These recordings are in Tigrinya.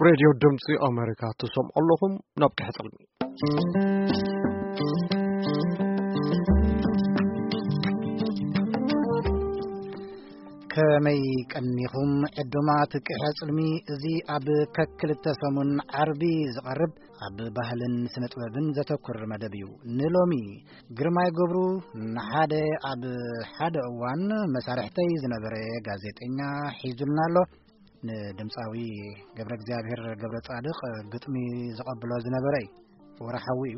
ሬድዮ ድምፂ ኣሜሪካ ትሰምዑ ኣለኹም። ናብ ቀሕፅልሚ። ከመይ ቀኒኹም ዕዱማት ቀሕፅልሚ? እዚ ኣብ ከክልተ ሰሙን ዓርቢ ዝቐርብ ኣብ ባህልን ስነ ጥበብን ዘተኩር መደብ እዩ። ንሎሚ ግርማይ ገብሩ ንሓደ ኣብ ሓደ እዋን መሳርሕተይ ዝነበረ ጋዜጠኛ ሒዙልና ኣሎ። ንድምፃዊ ገብረ እግዚኣብሔር ገብረ ፃድቕ ግጥሚ ዝቐብሎ ዝነበረ እዩ። ወርሓዊ እዩ።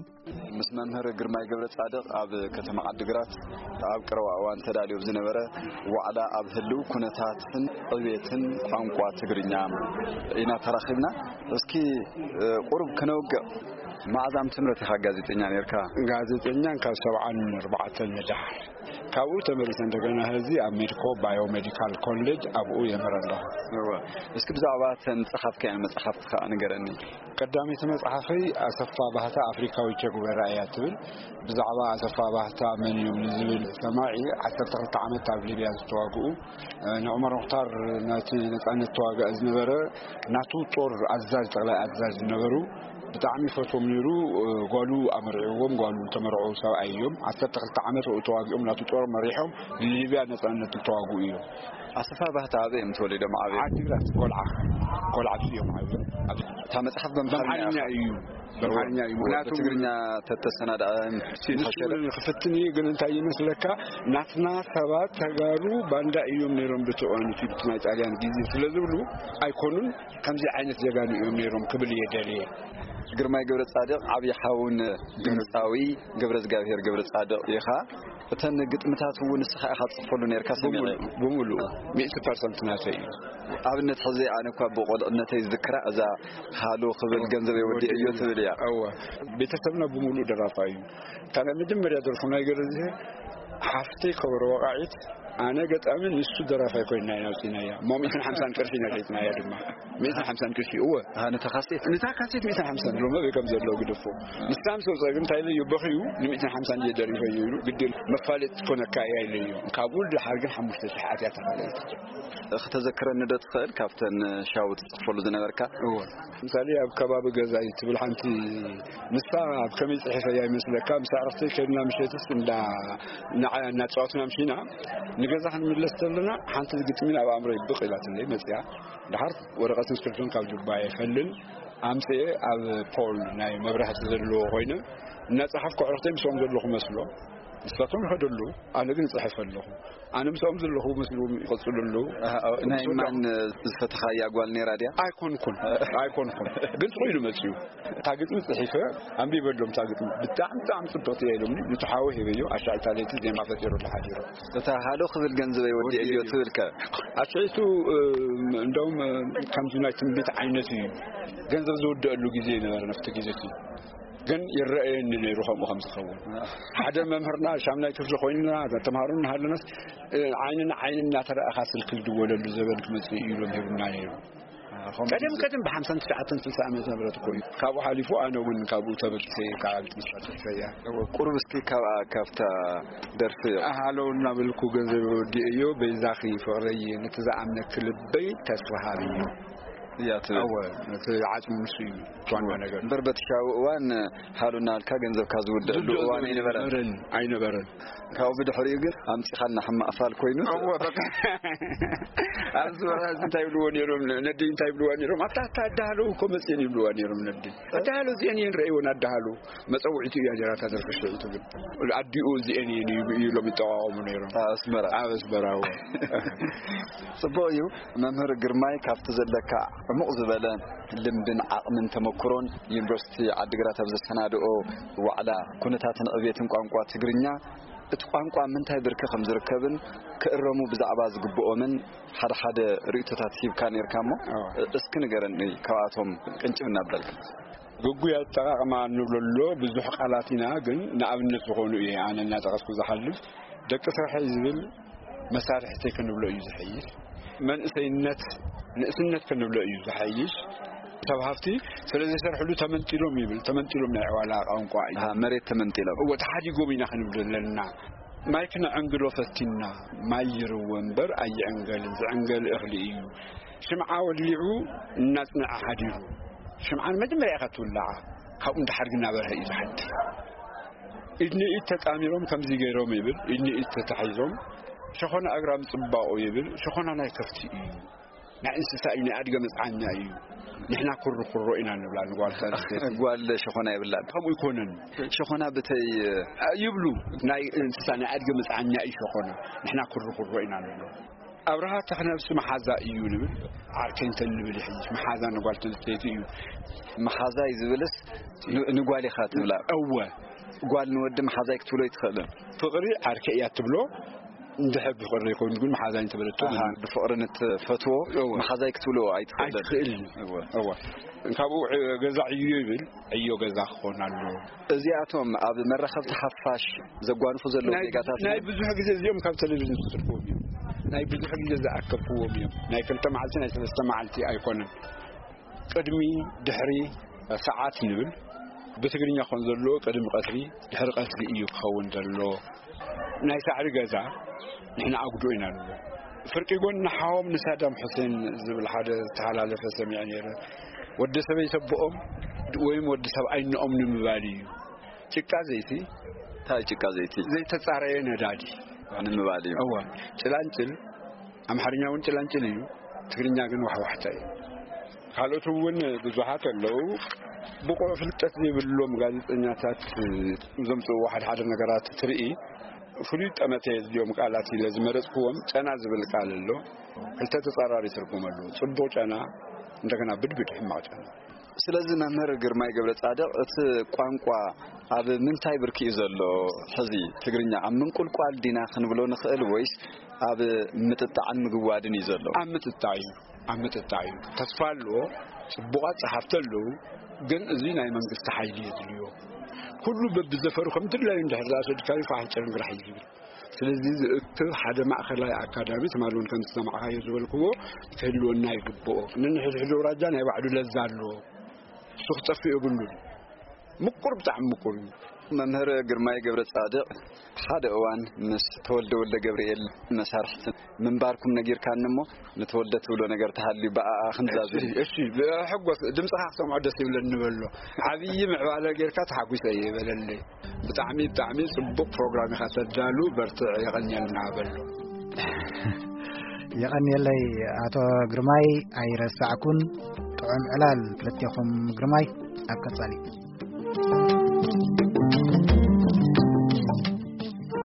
ምስ መምህር ግርማይ ገብረ ፃድቕ ኣብ ከተማ ዓድግራት ኣብ ቀረባ እዋን ተዳልዩ ዝነበረ ዋዕላ ኣብ ህልው ኩነታትን ዕቤትን ቋንቋ ትግርኛ ኢና ተራኺብና። እስኪ ቁሩብ ክነውግዕ። መዓዝ ዓመተ ምህረት ኢኻ ጋዜጠኛ ነርካ? ጋዜጠኛ ካብ ሰብዓን ኣርባዕተን ንደሓር። ካብኡ ተመሊሰ እንደገና ሕዚ ኣብ ሜድኮ ባዮሜዲካል ኮሌጅ ኣብኡ የምህር ኣለኹ። እወ። እስኪ ብዛዕባ እተን ጸሓፍካየን መጻሕፍቲ ከኣ ንገረኒ። ቀዳመይቲ መጽሓፈይ ኣሰፋ ባህታ ኣፍሪካዊ ቸጉቤራ እያ ትብል። ብዛዕባ ኣሰፋ ባህታ መን እዮም ንዝብል ሰማዒ፣ ዓሰርተ ክልተ ዓመት ኣብ ሊብያ ዝተዋግኡ፣ ንዑመር ሙኽታር ናቲ ነጻነት ተዋጋኢ ዝነበረ ናቱ ጦር ኣዛዥ፣ ጠቕላይ ኣዛዥ ዝነበሩ፣ ብጣዕሚ ይፈትዎም ነይሩ። ጓሉ ኣመርዕዎም፣ ጓሉ ተመርዑ ሰብኣይ እዮም። ዓሰርተ ክልተ ዓመት ኣብኡ ተዋጊኦም፣ ናቱ ጦር መሪሖም ንሊብያ ነጻነት ዝተዋግኡ እዮም። ኣሰፋ ባህታ ኣበይ እዮም ተወሊዶም ዓብዮም? ዓዲግራት፣ ኮልዓ። ኮልዓ እዮም ዓብዮም። እታ መጽሓፍ በምሓርኛ በምሓርኛ እዩ። በምሓርኛ እዩ። ምኽንያቱ ትግርኛ ተተሰናድኣ ንሱ ክፍትን እዩ፣ ግን እንታይ ይመስለካ፣ ናትና ሰባት ተጋሩ ባንዳ እዮም ነይሮም፣ ብትዋንቲ ናይ ጣልያን ግዜ ስለ ዝብሉ ኣይኮኑን፣ ከምዚ ዓይነት ጀጋኑ እዮም ነይሮም ክብል እየ ደልየ። ግርማይ ገብረ ጻድቕ ዓብዪ ሓውን ድምፃዊ ገብረ እግዚኣብሔር ገብረ ጻድቕ ኢኻ። እተን ግጥምታት እውን ንስኻ ኢኻ ትጽሕፈሉ ነርካ ሰሚዐ። ብምሉእ፣ ብምሉእ፣ ሚእቲ ፐርሰንት ናተይ እዩ። ኣብነት ሕዚ ኣነ እኳ ብቆልዕነተይ ዝዝክራ እዛ ሃሎ ክብል ገንዘብ የወዲ እዮ ትብል እያ። እወ። ቤተሰብና ብምሉእ ደራፋ እዩ። እታ ናይ መጀመርያ ደርፉ ናይ ገረዝሄ ሓፍተይ ከበሮ ወቃዒት፣ ኣነ ገጣሚ፣ ንሱ ደራፋይ ኮይና ኢና ኣውፂናያ። እሞ ሚእትን ሓምሳን ቅርሺ ኢና ሸይጥናያ ድማ። ሚእትን ሓምሳን ቅርሺ፣ እወ። ኣሃ፣ ነታ ካሴት? ነታ ካሴት ሚእትን ሓምሳን ሎሚ ኣበይ ከም ዘሎ ግደፎ። ንሳ ምስ ወፀ ግን እንታይ ኢለዮ፣ በኽዩ፣ ንሚእትን ሓምሳን እየ ደሪፈዮ ኢሉ፣ ግድል መፋለጢ ትኮነካ እያ ኢለዮ። ካብኡ ድሓር ግን ሓሙሽተ ሺሕ ኣትያ ተኻለይታ። ክተዘክረኒ ዶ ትኽእል ካብተን ሻው ትጽሕፈሉ ዝነበርካ? እወ። ምሳሌ ኣብ ከባቢ ገዛይ ትብል ሓንቲ፣ ንሳ ኣብ ከመይ ጽሒፈያ ይመስለካ፣ ምስ ኣዕርኽተይ ከድና ምሸትስ እንዳ፣ ንዓያ እናተጻወትና ምሽና፣ ንገዛ ክንምለስ ዘለና ሓንቲ ግጥሚ ናብ ኣእምሮይ ብቕ ኢላትለይ መጽያ። ድሓር ወረቐትን ስክሪፕቶን ካብ ጁባየ ፈልል ኣምጽኤ ኣብ ፖል ናይ መብራህቲ ዘለዎ ኮይነ እናጸሓፍኩ ኣዕርኽተይ ምስኦም ዘለኹ መስሎ። ንሳቶም ይኸዱ ኣለዉ፣ ኣነ ግን እጽሕፍ ኣለኹ። ኣነ ምስኦም ዘለኹ መስልዎም ይቐጽሉ ኣለዉ። ኣሃ፣ ናይ እሱ ማን ዝፈተኻያ ጓል ነይራ ድያ? ኣይኮንኩን፣ ኣይኮንኩን። ግን ጽቕ ኢሉ መጽዩ። እታ ግጥሚ ጽሒፈ ኣንቢበሎም፣ እታ ግጥሚ ብጣዕሚ፣ ብጣዕሚ ጽብቕቲ እያ ኢሎምኒ። ንትሓወ ሂበዮ፣ ኣሻዕታ ለይቲ ዜማ ፈጢሩላ ሓዲሩ። እታ ሃሎ ክብል ገንዘበይ ወዲ እዮ ትብል ከ? ኣስዒቱ፣ እ፣ እንደውም፣ እ፣ ከምዚ ናይ ትንቢት ዓይነት እዩ። ገንዘብ ዝውደአሉ ግዜ ነበረ፣ ናብቲ ግዜ እቲ። ግን ይረኣየኒ ነይሩ ከምኡ ከም ዝኸውን። ሓደ መምህርና ሻምናይ ክፍሊ ኮይንና፣ ተምሃሮ እናሃለናስ፣ እ፣ ዓይንና ዓይኒ እናተረኣኻ ስልኪ ዝድወለሉ ዘበን ክመጽእ እዩ ኢሎም ሂቡና ነይሩ። ከምኡ ቀደም፣ ግዜ። ቀደም ብሓምሳን ትሽዓተን ስልሳ ዓመተ ምህረት እኮ እዩ። ካብኡ ሓሊፉ ኣነ እውን ካብኡ ተበጊሰ እየ፣ ካብ ቤት መስዋዕቲ ሒዘያ። ቁሩብ እስኪ ካብኣ፣ ካብታ ደርፊ። ኣሃለው እናበልኩ ገንዘብ ወዲኤዮ፣ በይዛኺ ፍቕረይ፣ ነቲ ዝኣምነኪ ልበይ ተስፋ ሃብዮ። እያ ትብል። እወ፣ እቲ ዓጽሙ ንሱ እዩ፣ እቲ ዋና ነገር። እምበር በቲ ሻው እዋን ሃሎ እናበልካ ገንዘብካ ዝውደአሉ ዝውደአሉ እዋን ኣይነበረን። ኣይነበረን፣ ኣይነበረን። ካብኡ ብድሕሪኡ ግን ኣምጺኻልና ሕማቕ ፋል ኮይኑ። እወ፣ በቃ። ኣብዚ ወርሒ እዚ እንታይ ይብልዎ ነይሮም? ነዲ እንታይ ይብልዎ ነይሮም? ኣታ፣ ኣታ ኣዳሃሎ እኮ መጽየን ይብልዋ ነይሮም ነዲ። ኣዳሃሎ እዚአን እየን ረእይወን ኣዳሃሎ። መጸውዒቱ እያ ነይራ እታ ደርፊ ሽዒቱ ግን። ኣዲኡ እዚአን እየን እዩ ኢሎም ይጠቋቖሙ ነይሮም። ኣብ ኣስመራ። ኣብ ኣስመራ፣ እወ። ጽቡቕ እዩ። መምህር ግርማይ፣ ካብቲ ዘለካ ዕሙቕ ዝበለ ልምድን ዓቕምን ተመክሮን፣ ዩኒቨርሲቲ ዓዲግራት ኣብ ዘሰናድኦ ዋዕላ ኩነታትን ዕብየትን ቋንቋ ትግርኛ፣ እቲ ቋንቋ ምንታይ ብርኪ ከም ዝርከብን ክእረሙ ብዛዕባ ዝግብኦምን ሓደ ሓደ ርእይቶታት ሂብካ ነርካ እሞ፣ ኣዎ። እስኪ ንገረኒ ካብኣቶም ቅንጭብ እናበልካ። ግጉይ ኣጠቓቕማ እንብሎ ኣሎ፣ ብዙሕ ቃላት ኢና፣ ግን ንኣብነት ዝኾኑ እየ ኣነ እናጠቐስኩ ዝሓልፍ። ደቂ ስርሐይ ዝብል መሳርሕተይ ክንብሎ እዩ ዝሐይሽ። መንእሰይነት፣ ንእስነት ክንብሎ እዩ ዝሐይሽ። ሰብ ሃፍቲ ስለ ዘይሰርሕሉ ተመንጢሎም ይብል። ተመንጢሎም ናይ ዕዋላ ቋንቋ እዩ። ኣሃ፣ መሬት ተመንጢሎም። እወ፣ ተሓዲጎም ኢና ክንብል ዘለና። ማይ ክነዐንግሎ ፈቲንና፣ ማይ ይርወ እምበር ኣይዕንገልን፣ ዝዕንገል እኽሊ እዩ። ሽምዓ ወሊዑ እናጽንዐ ሓዲሩ። ሽምዓ ንመጀመርያ ኢኻ ትውልዓ፣ ካብኡ ንደሓር ግን እናበርሀ እዩ ዝሓድር። ኢድ ንኢድ ተጣሚሮም ከምዚ ገይሮም ይብል፣ ኢድ ንኢድ ተታሒዞም። ሸኾና ኣግራም ጽባቑ ይብል፣ ሸኾና ናይ ከፍቲ እዩ፣ ናይ እንስሳ እዩ፣ ናይ ኣድገ መጽዓኛ እዩ። ንሕና ኩርኩሮ ኢና ንብላ ንጓል ኣንስተይቲ። ጓል ሸኾና የብላን። ከምኡ ይኮነን። ሸኾና ብተይ ይብሉ፣ ናይ እንስሳ ናይ ኣድገ መጽዓኛ እዩ ሸኾና። ንሕና ኩርኩሮ ኢና ንብሎ። ኣብርሃ ተኽነብሲ መሓዛ እዩ ንብል፣ ዓርከይንተን ንብል ይሕይሽ። መሓዛ ንጓል ተንስተይቲ እዩ። መሓዛይ ዝብልስ ን-፣ ንጓል ኢኻ ትብላ። እወ። ጓል ንወዲ መሓዛይ ክትብሎ ይትኽእልን። ፍቕሪ ዓርከይ እያ ትብሎ። እንድሕር ብፍቕሪ ይኸውን ግን መሓዛይ እንተበለቶ ኣሃ፣ ግን ብፍቕሪ ንትፈትዎ እወ። መሓዛይ ክትብሎ ኣይትኽእልን። ኣይትኽእልን። እወ። እወ። ካብኡ ዕ-፣ ገዛ ዕዮ ይብል፣ ዕዮ ገዛ ክኾን ኣለዎ። እዚኣቶም ኣብ መራኸብቲ ሓፋሽ ዘጓንፉ ዘለዉ ናይ ዜጋታት ናይ ብዙሕ ግዜ እዚኦም ካብ ቴሌቪዥን ዝስርፍዎም እዮም። ናይ ብዙሕ ግዜ ዝኣከብክዎም እዮም። ናይ ክልተ መዓልቲ፣ ናይ ሰለስተ መዓልቲ ኣይኮነን። ቅድሚ፣ ድሕሪ፣ ሰዓት ንብል። ብትግርኛ ክኾን ዘለዎ ቅድሚ ቀትሪ፣ ድሕሪ ቀትሪ እዩ ክኸውን ዘለዎ። ናይ ሳዕሪ ገዛ ንሕና ኣጉዶ ኢና ንብሎ። ፍርቂ ጎኒ ሓዎም ንሳዳም ሑሴን ዝብል ሓደ ዝተሓላለፈ ሰሚዐ ነይረ። ወዲ ሰበይቲ ኣቦኦም ወይም ወዲ ሰብኣይ እኖኦም ንምባል እዩ። ጭቃ ዘይቲ እንታይ ጭቃ ዘይቲ? ዘይተጻረየ ነዳዲ። ንምባል እዩ። እወ። ጭላንጭል፣ ኣምሓርኛ እውን ጭላንጭል እዩ፣ ትግርኛ ግን ዋሕዋሕታ እዩ። ካልኦት እውን ብዙሓት ኣለዉ። ብቑዕ ፍልጠት ዘይብሎም ጋዜጠኛታት ዘምጽእዎ ሓደ ሓደ ነገራት ትርኢ። ፍሉይ ጠመተ የድልዮም ቃላት ኢለ ዝመረጽክዎም፣ ጨና ዝብል ቃል ኣሎ። ክልተ ተጻራሪ ትርጉም ኣለዎ። ጽቡቕ ጨና፣ እንደገና ብድብድ ሕማቕ ጨና። ስለዚ መምህር ግርማይ ገብረ ጻድቕ፣ እቲ ቋንቋ ኣብ ምንታይ ብርኪ እዩ ዘሎ? ሕዚ ትግርኛ ኣብ ምንቁልቋል ዲና ክንብሎ ንኽእል ወይስ ኣብ ምጥጣዕን ምግዋድን እዩ ዘሎ? ኣብ ምጥጣዕ እዩ፣ ኣብ ምጥጣዕ እዩ። ተስፋ ኣለዎ፣ ጽቡቓት ጸሓፍቲ ኣለዉ፣ ግን እዚ ናይ መንግስቲ ሓይሊ የድልዮ። ኩሉ በብዘፈሩ ከም ድላዩ እንድሕር ዝኣሰድካዩ ፋሕ ጭርንግራሕ እዩ ዝብል። ስለዚ ዝእክብ ሓደ ማእከላይ ኣካዳሚ ትማሊ እውን ከም ዝሰማዕካዮ ዝበልክዎ ክህልወና ይግብኦ። ነንሕድሕዱ ኣውራጃ ናይ ባዕሉ ለዛ ኣለዎ። እሱ ክጠፍእ የብሉን። ምቁር፣ ብጣዕሚ ምቁር እዩ። መምህር ግርማይ ገብረ ጻድቕ፣ ሓደ እዋን ምስ ተወልደ ወልደ ገብርኤል መሳርሕቲ ምንባርኩም ነጊርካኒ እሞ፣ ንተወልደ ትብሎ ነገር ተሃልዩ ብኣኣ ክንዛዝም። እሺ፣ እሺ፣ ብሕጎስ ድምፅኻ ክሰምዖ ደስ ይብለኒ በሎ። ዓብዪ ምዕባለ ጌርካ ተሓጒሰ እየ በለለይ። ብጣዕሚ፣ ብጣዕሚ ጽቡቕ ፕሮግራም ኢኻ ተዳሉ፣ በርትዕ፣ የቐንየልና በሎ። የቐንየለይ ኣቶ ግርማይ፣ ኣይረሳዕኩን። ጥዑም ዕላል ክልቴኹም ግርማይ፣ ኣብ ቀጻሊ።